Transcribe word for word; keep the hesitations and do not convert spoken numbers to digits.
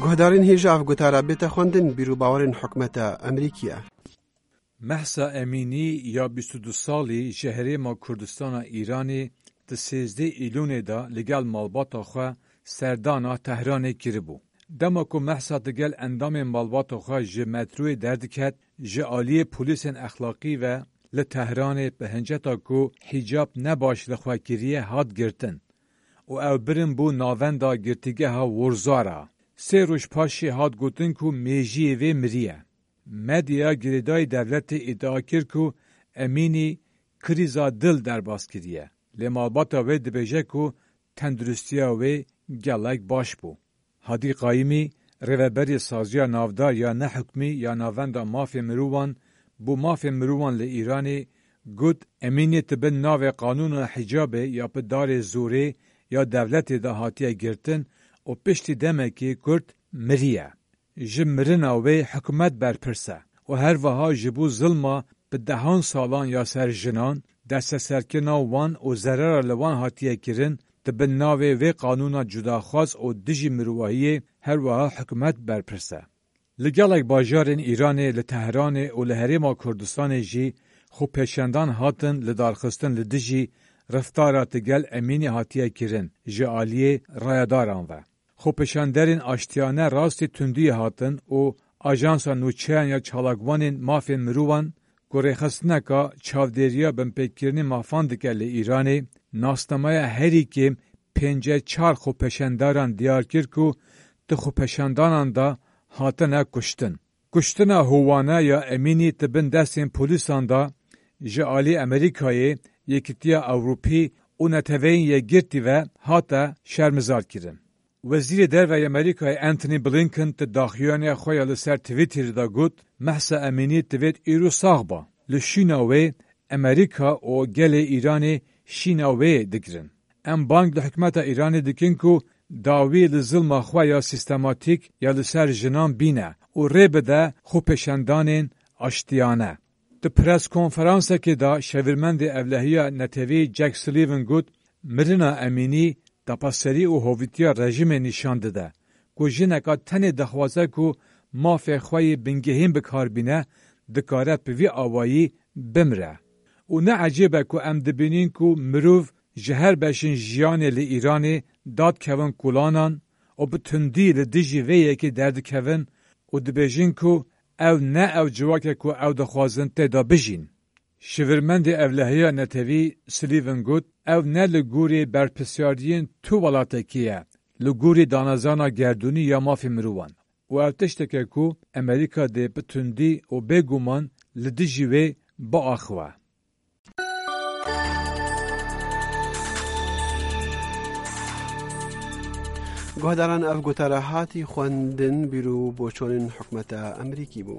Guhdarên hêja ev gotara bête xwendin, bîr û bawerên hikûmeta Amerîkî ye. Mehsa Emînî ya bîst û du salî ji herêma Kurdistana Îranê di sêzdeh Îlûnê de li gel malbata xwe serdana Tehranê kiribû. Dema ku Mehsa digel endamên malbata xwe ji metroyê derdiket, ji aliyê polîsên exlaqî ve li Tehranê bi hinceta ku hîcab ne baş li xwe kiriye hat girtin û ew birin bû navenda girtîgeha Wurzara. Sê roj paşê hat gotin ku mêjiyê vê miriye. Medya girêdayî dewletê îdia kir ku Emînî krîza dil derbas kiriye. Lê malbata wê dibêje ku tenduristiya wê gelek baş bû. Hadî Qayîmî, rêveberê Saziya Navdar ya Nehukmî ya Navenda Mafê Mirovan bo Mafê Mirovan li Îranê, got, Emînî di bin navê qanûna hicabê ya bi darê zorê ya dewletê de hatiye girtin û piştî demekê kurt miriye. Ji mirina wê hikûmet berpirs e û her wiha ji bo zilma bi dehan salan ya ser jinan, desteserkirina wan û zerara li wan hatiye kirin, di bin navê vê qanûna cudaxwaz û dijî mirovahiyê her wiha hikûmet berpirs e. Li gelek bajarên Îranê, li Tehranê û li Herêma Kurdistanê jî xwepêşandan hatin lidarxistin li dijî reftara digel Emînî hatiye kirin ji aliyê rayedaran ve. Xwepêşanderên aştiyane rastî tundiyê hatin û Ajansa Nûçeyan ya Çalakvanên Mafên Mirovan ku rêxistineka çavdêriya binpêkirinê mafan dike li Îranê, nasnameya herî kêm pêncî çar xwepêşandaran diyar kir ku di xwepêşandanan de hatine kuştin. Kuştina hovane ya Emînî di bin destên polîsan de ji alî Amerîkayê, Yekîtiya Ewropî û Neteweyên Yekgirtî ve hate şermizarkirin. Wezîrê Derve yê Amerîkayê Antony Blinken di daxuyaniya xwe ya li ser Twitterê de got, Mehsa Emînî divêt îro sax ba. Li şûna wê Amerîka û gelê Îranê şîna wê digirin. Em bang li hikûmeta Îranê dikin ku dawî li zilma xwe ya sîstematîk ya li ser jinan bîne û rê bide xwepêşandanên aştiyane. Di preskonferansekê de şevîrmendê Ewlehiya Netewî Jack Sullivan got, Mirina Emînî dapaserî û hovîtiya rejîmê nîşan dide ku jineka tenê dixwaze ku mafê xwe yê bingehîn bi kar bîne, dikare bi vî awayî bimire. Û ne ecêb e ku em dibînin ku mirov ji her beşên jiyanê li Îranê dadkevin kolanan û bi tundî li dijî vê yekê derdikevin û dibêjin ku ew ne ew civak e ku ew dixwazin tê de bijîn. Şivirmendê Ewlehiya Netewî Sullivan got, Ew ne li gorî berpirsyariyên tu welatekî ye, li gorî danezana gerdûnî ya mafê mirovan. Û ev tiştek e ku Amerîka dê bi tundî û bêguman li dijî wê biaxive. Guhdaran, ev gotara hatî xwendin, bîr û boçonên hikûmeta Amerîkî bû.